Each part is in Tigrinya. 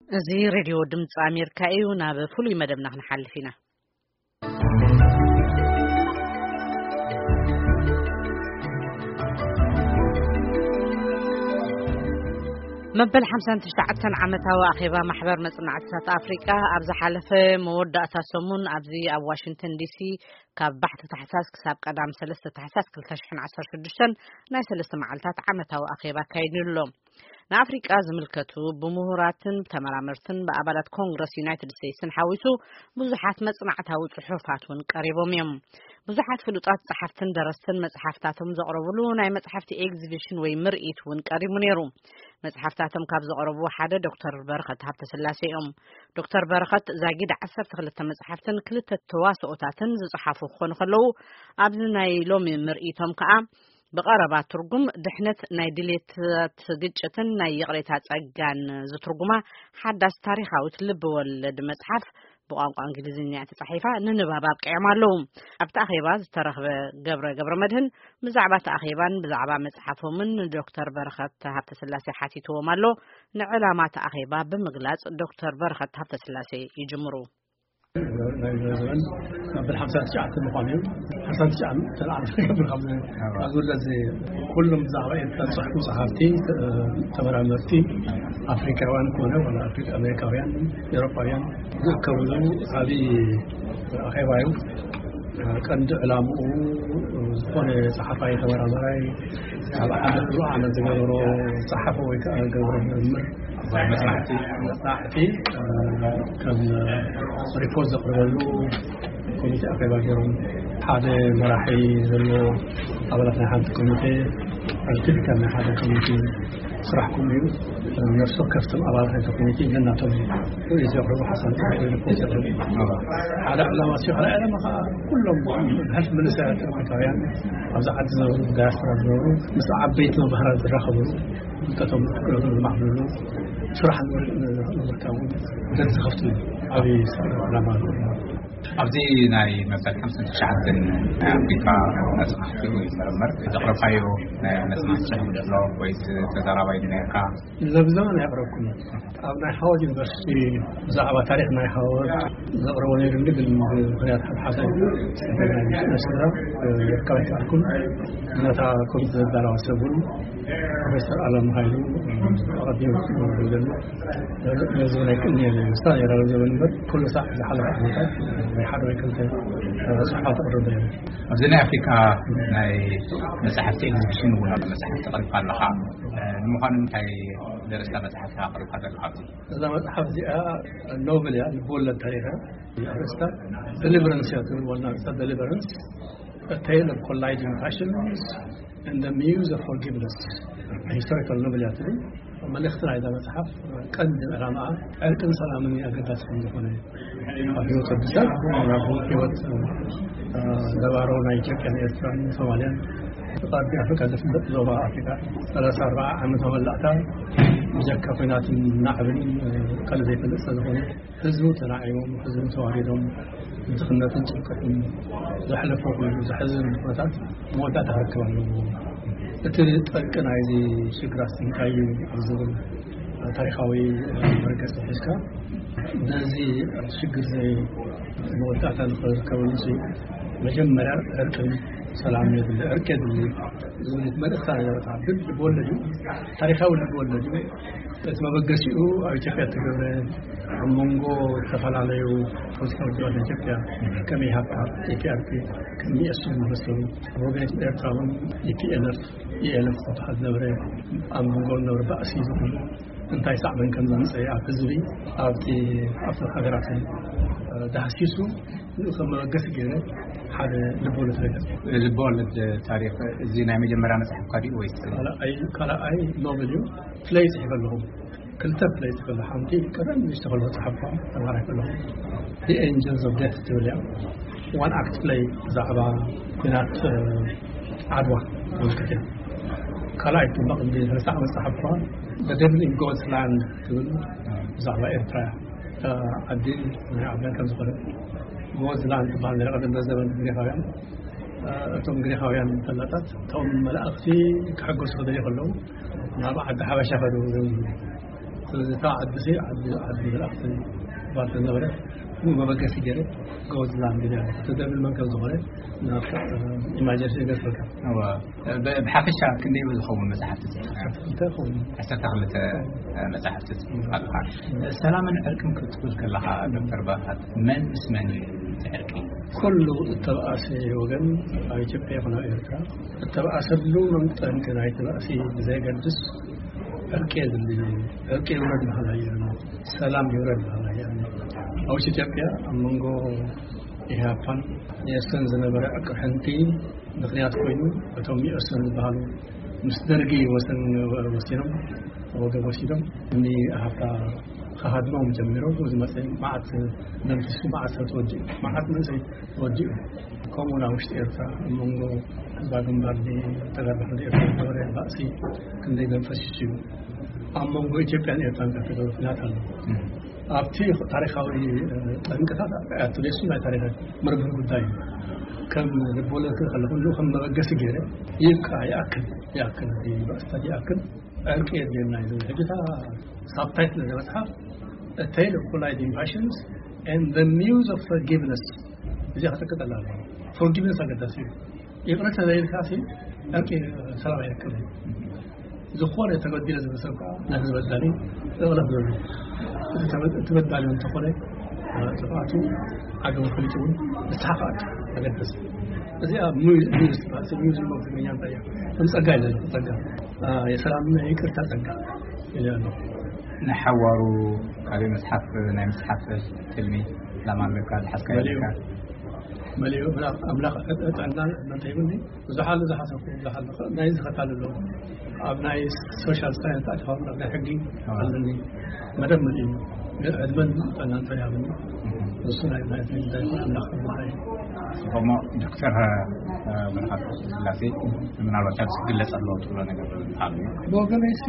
እዚ ሬድዮ ድምፂ ኣሜሪካ እዩ። ናብ ፍሉይ መደብና ክንሓልፍ ኢና። መበል ሓምሳን ትሽዓተን ዓመታዊ ኣኼባ ማሕበር መጽናዕትታት ኣፍሪቃ ኣብ ዝሓለፈ መወዳእታ ሰሙን ኣብዚ ኣብ ዋሽንግተን ዲሲ ካብ ባሕቲ ታሕሳስ ክሳብ ቀዳም ሰለስተ ታሕሳስ ክልተ ሽሕን ዓሰርተ ሽዱሽተን ናይ ሰለስተ መዓልታት ዓመታዊ ኣኼባ ኣካይዱ ኣሎ። ንኣፍሪቃ ዝምልከቱ ብምሁራትን ብተመራመርትን ብኣባላት ኮንግረስ ዩናይትድ ስቴትስን ሓዊሱ ብዙሓት መጽናዕታዊ ጽሑፋት እውን ቀሪቦም እዮም። ብዙሓት ፍሉጣት ጸሓፍትን ደረስትን መጽሓፍታቶም ዘቕረብሉ ናይ መጽሓፍቲ ኤግዚቢሽን ወይ ምርኢት እውን ቀሪቡ ነይሩ። መጽሓፍታቶም ካብ ዘቕረቡ ሓደ ዶክተር በረኸት ሃብተስላሴ እዮም። ዶክተር በረኸት ዛጊድ ዓሰርተ ክልተ መጽሓፍትን ክልተ ተዋስኦታትን ዝጸሓፉ ክኾኑ ከለዉ፣ ኣብዚ ናይ ሎሚ ምርኢቶም ከኣ ብቐረባ ትርጉም ድሕነት ናይ ድሌታት ግጭትን ናይ ይቕሬታ ጸጋን ዝትርጉማ ሓዳስ ታሪኻዊት ልቢ ወለድ መጽሓፍ ብቋንቋ እንግሊዝኛ ተጻሒፋ ንንባብ ኣብቂዖም ኣለዉ። ኣብቲ ኣኼባ ዝተረኽበ ገብረ ገብረ መድህን ብዛዕባ እቲ ኣኼባን ብዛዕባ መጽሓፎምን ንዶክተር በረኸት ሃብተስላሴ ሓቲትዎም ኣሎ። ንዕላማ እቲ ኣኼባ ብምግላጽ ዶክተር በረኸት ሃብተስላሴ ይጅምሩ። ናይ ዘበን መበል ሓምሳ ትሽዓተ ምዃኑ እዩ። ሓምሳ ትሽዓተ ተለዓሉ ካብ ካብ ዝውለድ ዘ-፣ ኩሎም ብዛዕባ ኤርትራ ዝጽሕፉ ጸሓፍቲ፣ ተ-፣ ተመራመርቲ ኣፍሪካውያን ኮነ ወላ ኣፍሪካ ኣሜሪካውያን ኤውሮጳውያን ዝእከብሉ ዓብዪ ኣኼባ እዩ። ቀንዲ ዕላምኡ ዝኾነ ጸሓፋይ ተመራማራይ ኣብ ዓመት ብሩዕ ዓመት ዝገበሮ ጸሓፈ ወይ ከዓ ዝገበሮ ምርምር መጽናዕቲ መጽናዕቲ፣ እ፣ ከም ሪፖርት ዘቕርበሉ ኮሚቴ ኣኼባ ገይሮም። ሓደ መራሒ ዘለዎ ኣባላት ናይ ሓንቲ ኮሚቴ፣ ኣልቲቪካ ናይ ሓደ ኮሚቴ ስራሕኩም እዩ። ነፍሲ ወከፍቶም ኣባላት ናይቲ ኮሚቴ ነናቶም ርእይቶ የቕርቡ፣ ሓሳብ የቕርቡ፣ ሪፖርት የቕርቡ። ሓደ ዕላማ ሲዮ፣ ካልኣይ ዕላማ ከዓ ኩሎም ብሕልፊ መንእሰያት ኣፍሪካውያን ኣብዚ ዓዲ ዝነብሩ፣ ዳያስፖራ ዝነብሩ፣ ምስ ዓበይቲ መምህራን ዝራኸብሉ፣ ፍልጠቶም ክእለቶም ዝማዕብልሉ፣ ስራሕ ንምርካቡ ደጅ ዝኸፍትሉ ዓብዪ ዕላማ ኣለዎ። ኣብዚ ናይ መበል ሓምሳን ትሽዓተን ናይ ኣፍሪካ መጽናዕቲ ወይ ምርምር ዘቕረብካዮ ናይ መጽናዕቲ ጽሑፍ ዘሎ ወይስ ተዛራባይ ነርካ? ለብዛን ኣየቕረብኩን። ኣብ ናይ ሃዋርድ ዩኒቨርሲቲ ብዛዕባ ታሪኽ ናይ ሃዋርድ ዘቕረቦ ነይሩ፣ ግን ብምኽንያት ሓደ ሓሳብ ናይ ስድራ፣ እ፣ ክርከብ ኣይከኣልኩን። ነታ ኮሚቴ ዘዳለዋ ሰብ እውን ፕሮፌሰር ኣለም ሃይሉ፣ እ፣ ኣቐዲሙ ክነግረሉ ነዚ ናይ ቅድሚ ምስታ ነይራ ዘበን እምበር፣ ኩሉ ሳዕ ዝሓለፈ ዓመታት ናይ ሓደ ወይ ክልተ ጽሑፋት ኣቕርብ ነይሩ። ኣብዚ ናይ ኣፍሪካ ናይ መጽሓፍቲ ኤግዚቢሽን እውን መጽሓፍቲ ኣቕሪብካ ኣለኻ። እ፣ ንምዃኑ እንታይ ደረስታ መጽሓፍቲ ኣቕሪብካ ዘለኻ ኣብዚ? እዛ መጽሓፍ እዚኣ ኖቨል እያ፣ ልብወለድ ታሪኽ እያ። ኣርእስታ ደሊቨረንስ እያ ትብል፣ ዋና ኣርእስታ ደሊቨረንስ፣ A tale of colliding passions and the muse of forgiveness. ሂስቶሪካል ኖቨል እያ ትብል። መልእኽቲ ናይዛ መጽሓፍ ቀንዲ ዕላማኣ ዕርቅን ሰላምን ኣገዳሲ ከም ዝኾነ፣ ኣብ ህይወት ወዲ ሰብ፣ ኣብ ህይወት፣ እ፣ ነባሮ ናይ ኢትዮጵያን ኤርትራን ሶማልያን፣ ብቐርኒ ኣፍሪካ ዝፍለጥ ዞባ ኣፍሪካ ሰላሳ ኣርባዓ ዓመት መመላእታ ብጀካ ኲናትን ናዕብን፣ እ፣ ካልእ ዘይፈልጥ ስለ ዝኾነ፣ ህዝቡ ተናዒቦም፣ ህዝቡ ተዋሪዶም፣ ድኽነትን ጭንቀትን ዘሕለፎ ኩሉ ዘሕዝን ኩነታት መወዳእታ ክረክብ ኣለዎ። እቲ ጠንቂ ናይዚ ሽግራት እንታይ እዩ ኣብ ዝብል ታሪኻዊ መርገጺ ሒዝካ፣ ነዚ ሽግር እዚ መወዳእታ ንኽርከበሉ ሲ መጀመርያ ዕርቅን ሰላም የድሊ፣ ዕርቂ የድሊ ዝብል መልእኽታ ነበረታ። ግን ልብወለድ እዩ፣ ታሪኻዊ ልብወለድ እዩ። እቲ መበገሲኡ ኣብ ኢትዮጵያ እተገብረ ኣብ መንጎ ዝተፈላለዩ ፖለቲካዊ ውድባት ኢትዮጵያ ከም ኢሃፓ፣ ኢፒኣርፒ፣ ከም ኢኤስኤን ዝመሰሉ፣ ኣብ ወገን ኤርትራ እውን ኢፒኤልኤፍ፣ ኢኤልኤፍ ዝበሃል ዝነበረ፣ ኣብ መንጎ ዝነበረ ባእሲ ዝኹሉ እንታይ ሳዕቤን ከም ዘምፀአ ኣብ ህዝቢ፣ ኣብቲ፣ ኣብቶም ሃገራትን፣ እ፣ ዳህሲሱ ንኡ ከም መበገሲ ገይረ ሓደ ልብወለድ ነገር። ልብወለድ ታሪኽ እዚ ናይ መጀመርያ መፅሓፍካ ድዩ ወይስ? ካልኣይ፣ ካልኣይ ኖቨል እዩ። ፍለይ ጽሒፈ ኣለኹ። ክልተ ፍለይ ጽሒፈ ኣለኹ። ሓንቲ ቀደም ንእሽቶ ከለኹ ጸሓፍኳ፣ ተማሃራይ ከለኹ። The Angels of Death ትብል እያ። ዋን ኣክት ፍለይ ብዛዕባ ኲናት፣ እ፣ ዓድዋ ዝምልከት እያ። ካልኣይ ድማ ቅድሚ ሰለስተ ዓመት ጸሓፍኳ፣ The Devil in God's Land ትብል ብዛዕባ ኤርትራ እያ። እታ ዓዲ ናይ ዓባይ ከም ዝኾነ፣ ጎዝላንድ ትበሃል ነይራ ቀደም በዘበን ግሪኻውያን። እቶም ግሪኻውያን ፈላጣት፣ እቶም መላእኽቲ ክሕጎሱ ክደልዩ ከለዉ፣ ናብ ዓዲ ሓበሻ ከዱ። ስለዚ እታ ዓዲ ሲ ዓዲ ዓዲ መልኣኽቲ ባል ተነበረ፣ ብኡ መበገሲ ገይረ፣ ጎበዝ ላንድ ገይረ፣ ተደብል መንከብ ዝኾነ፣ ናብ ኢማጀንሲ ገጽ በቃ። እወ። ብ-፣ ብሓፈሻ ክንደይ ዝኸውን መጽሓፍቲ ጽሒፍካ? ዓሰርተ ክልተ ይኸውን። ዓሰርተ ክልተ መጽሓፍቲ ጽሒፍካ ኣለኻ። ሰላምን ዕርቅን ክትብል ከለኻ፣ ዶክተር በረኸት፣ መን ምስ መን እዩ እቲ ዕርቂ? ኩሉ እተባእሰ ወገን ኣብ ኢትዮጵያ ይኹን ኣብ ኤርትራ እተባእሰሉ መንጠንቂ ናይቲ ባእሲ ብዘየገድስ ዕርቂ የድሊ። ዕርቂ ይውረድ በሃላይ እየ። ሰላም ይውረድ በሃላይ እየ። ኣብ ኢትዮጵያ ኣብ መንጎ ኢህኣፓን መኢሶን ዝነበረ ዕቅርሕንቲ ምኽንያት ኮይኑ፣ እቶም መኢሶን ዝበሃሉ ምስ ደርጊ ወሰን ወሲኖም፣ ወገን ወሲዶም፣ እኒ ኢህኣፓ ክሃድሞም ጀሚሮም። እዚ መፅእ መዓት መንፈሱ፣ መዓት ሰብ ተወዲኡ፣ መዓት መንእሰይ ተወዲኡ። ከምኡ ናብ ውሽጢ ኤርትራ፣ ኣብ መንጎ ህዝባዊ ግንባር ተጋድሎ ኤርትራ ዝነበረ ባእሲ ክንደይ መንፈስ እዩ። ኣብ መንጎ ኢትዮጵያን ኤርትራን ዝተገብረ ኩናት ኣሎ። ኣብቲ ታሪኻዊ፣ እ፣ ጠንቅታት ኣያቱ ሌሱ ናይ ታሪኽ መርብብ ጉዳይ እዩ። ከም ልቦለድ ክርኢ ከለኹ፣ ንኡ ከም መበገሲ ገይረ፣ ይብቃ፣ ይኣክል፣ ይኣክል፣ እዚ ባእስታት ይኣክል፣ ዕርቂ የድልየና እዩ ዝብል። ሕጂ እታ ሳብታይትል እዛ መጽሓፍ፣ A Tale of Colliding Passions and the Muse of Forgiveness። እዚኣ ክጥቅጠላ ኣለዎ። ፎርጊቭነስ ኣገዳሲ እዩ። ይቕረ ተዘይልካ ሲ ዕርቂ ሰላም ኣይረክብን። ዝኾነ ተበዲለ ዝብል ሰብ ከዓ ነቲ ዝበዳሊ እቕለፍ ዘሎ። እቲ ተበ-፣ እቲ በዳሊ እንተኾነ፣ እ፣ ጥፍኣቱ ዓገቡ ፈሊጡ እውን ንስሓ ከዓ ኣገደስ። እዚኣ ሚውዝ፣ ሚውዝ ትበሃል። ሰብ ሚውዝ ዝብሎ ብትግርኛ እንታይ እያ? ከም ጸጋ ኢለ ኣለኹ፣ ጸጋ። እ፣ የሰላምና ይቅርታ ጸጋ ኢለ ኣለኹ። ንሓዋሩ ካበይ መጽሓፍ፣ ናይ ምጽሓፍ ትልሚ ዕላማ ኣለካ? ዝሓዝካዮ መሊኡ፣ ኣለካ? መሊኡ፣ ኣምላኽ፣ ኣምላኽ ጥዕና መን ተይብኒ። ብዙሓት ዝሓሰብኩ፣ ብዙሓት ዝኸ-፣ ናይ ዝኸታል ኣለዉ። ኣብ ናይ ሶሻል ሳይንስ ኣድፋም፣ ኣብ ናይ ሕጊ ኣዎ። ኣለኒ። መደብ መሊኡ። ግን ዕድመን ጥዕናን ተያብኒ። እሱ ናይ፣ ናይ፣ ናይ፣ ናይ፣ ናይ፣ ናይ፣ ጽቡቕ። እሞ ዶክተር፣ እ፣ በረኸት ስላሴ፣ ምናልባት ኣብዚ ክግለጽ ኣለዎ ትብሎ ነገር ኣሎ ድዩ? ብወገነይ ሲ፣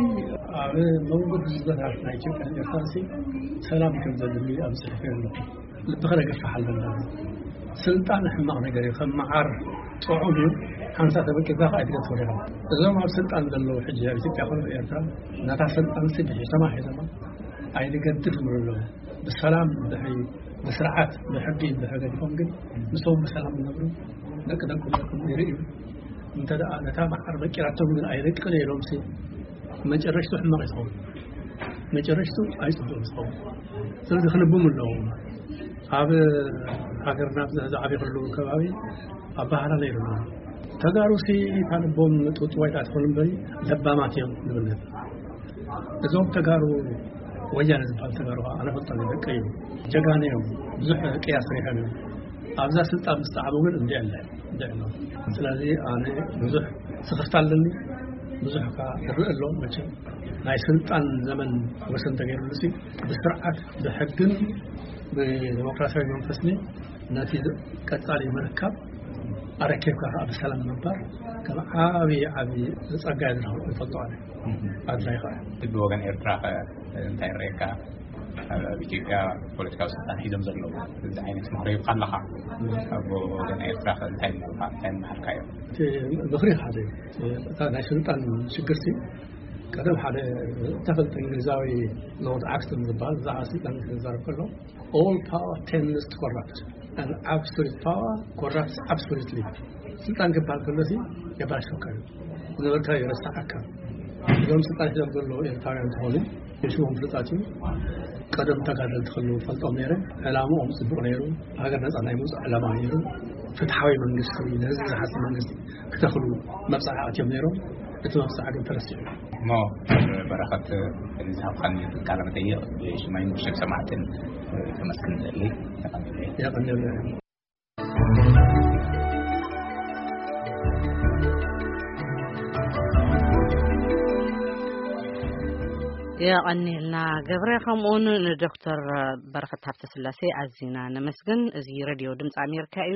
ኣብ መንጎ ህዝብታት ናይ ኢትዮጵያን ኤርትራን ሲ፣ ሰላም ከም ዘድሊ ኣብ ጽሑፍ ኣለኹ። ልብኻ ደገፍሕ ኣለና። ስልጣን ሕማቕ ነገር እዩ። ከም መዓር ጥዑም እዩ። ሓንሳ ተበቂልካ ከዓ ኣይትገድፎ ዲኻ። እዞም ኣብ ስልጣን ዘለዉ ሕጂ ኣብ ኢትዮጵያ ኮነ ኤርትራ፣ ነታ ስልጣን ሲ ብሒቶማ ሒዞማ ኣይንገድፍ ይብሉ ኣለዉ። ብሰላም ድሕሪ፣ ብስርዓት፣ ብሕጊ ድሕሪ ገዲፎም ግን፣ ንሶም ብሰላም ይነብሩ፣ ደቂ ደቆም ደቆም ይርእዩ። እንተ ደኣ ነታ መዓር በቂራቶም ግን ኣይደቅን ኢሎም ሲ፣ መጨረሽቱ ሕማቕ እዩ ዝኸውን። መጨረሽቱ ኣይጽቡቕን ዝኸውን። ስለዚ ክልብሙ ኣለዎም። ኣብ ሃገርና ኣብዚ ዝዓበኹሉ ከባቢ ኣበሃህላ ነይሩና። ተጋሩ ሲ እታ ልቦም ጥውጥዋይ ትኾኑ እምበሪ ለባማት እዮም ንብል ነበር። እዞም ተጋሩ ወያነ ዝበሃል ተጋሩ ከዓ ኣነ ፈልጦም እዮም፣ ደቀይ እዮም። ጀጋኑ እዮም። ብዙሕ ቅያ ሰሪሖም እዮም። ኣብዛ ስልጣን ምስ ጸዓቡ ግን እንዲዕ ኣለ፣ እንዲዕ ኣሎ። ስለዚ ኣነ ብዙሕ ስኽፍታ ኣለኒ፣ ብዙሕ ከዓ እርኢ ኣሎ። መቸም ናይ ስልጣን ዘመን ወሰን ተገይሩሉ ሲ ብስርዓት ብሕግን ብዲሞክራሲያዊ መንፈስን ነቲ ቀጻሊ ምርካብ ኣረኪብካ ከዓ ብሰላም ምንባር ከም ዓብዪ ዓብዪ ጸጋ እየ ዝረኽቦ፣ ይፈልጦ ኣነ። ኣድላይ ከዓ። ብወገን ኤርትራ ከ እንታይ ይረኣየካ? ኣብ ኢትዮጵያ ፖለቲካዊ ስልጣን ሒዞም ዘለዉ እዚ ዓይነት ምኽሪ ሂብካ ኣለኻ። ኣብ ወገን ኤርትራ ከ እንታይ ምኽርካ፣ እንታይ ምመሃርካዮም? እቲ ምኽሪ ሓደ እዩ። እታ ናይ ስልጣን ሽግር ሲ ቀደም ሓደ ተፈልጠ እንግሊዛዊ ሎርድ ኣክስተን ዝበሃል ብዛዕባ ስልጣን ክዛረብ ከሎ፣ "All power tends to corrupt and absolute power corrupts absolutely." ስልጣን ክበሃል ከሎ ሲ የባሽወካ እዩ። ዝነበርካ ይረስዓካ። እዞም ስልጣን ሒዞም ዘለዉ ኤርትራውያን ዝኾኑ የሽሞም ፍሉጣት እዩ። ቀደም ተጋደልቲ ከለዉ ፈልጦም ነይረ። ዕላምኦም ጽቡቕ ነይሩ። ሃገር ነጻ ናይ ምውጻእ ዕላማ ነይሩ። ፍትሓዊ መንግስቲ፣ ንህዝቢ ዝሓስብ መንግስቲ ክተኽሉ መብጽዓ ኣትዮም ነይሮም። እቲ መብጽዓ ግን ተረሲዑ። እሞ በረኸት፣ ንዝሃብካኒ ቃለ መጠይቕ ብሽመይን ብሽም ሰማዕትን ከመስግን እደሊ። የቐንየለይ። የቐንየለይ። የቐንየልና ገብረ፣ ከምኡውን ንዶክተር በረኸት ሃብተስላሴ ኣዚና ነመስግን። እዚ ሬድዮ ድምፂ ኣሜሪካ እዩ።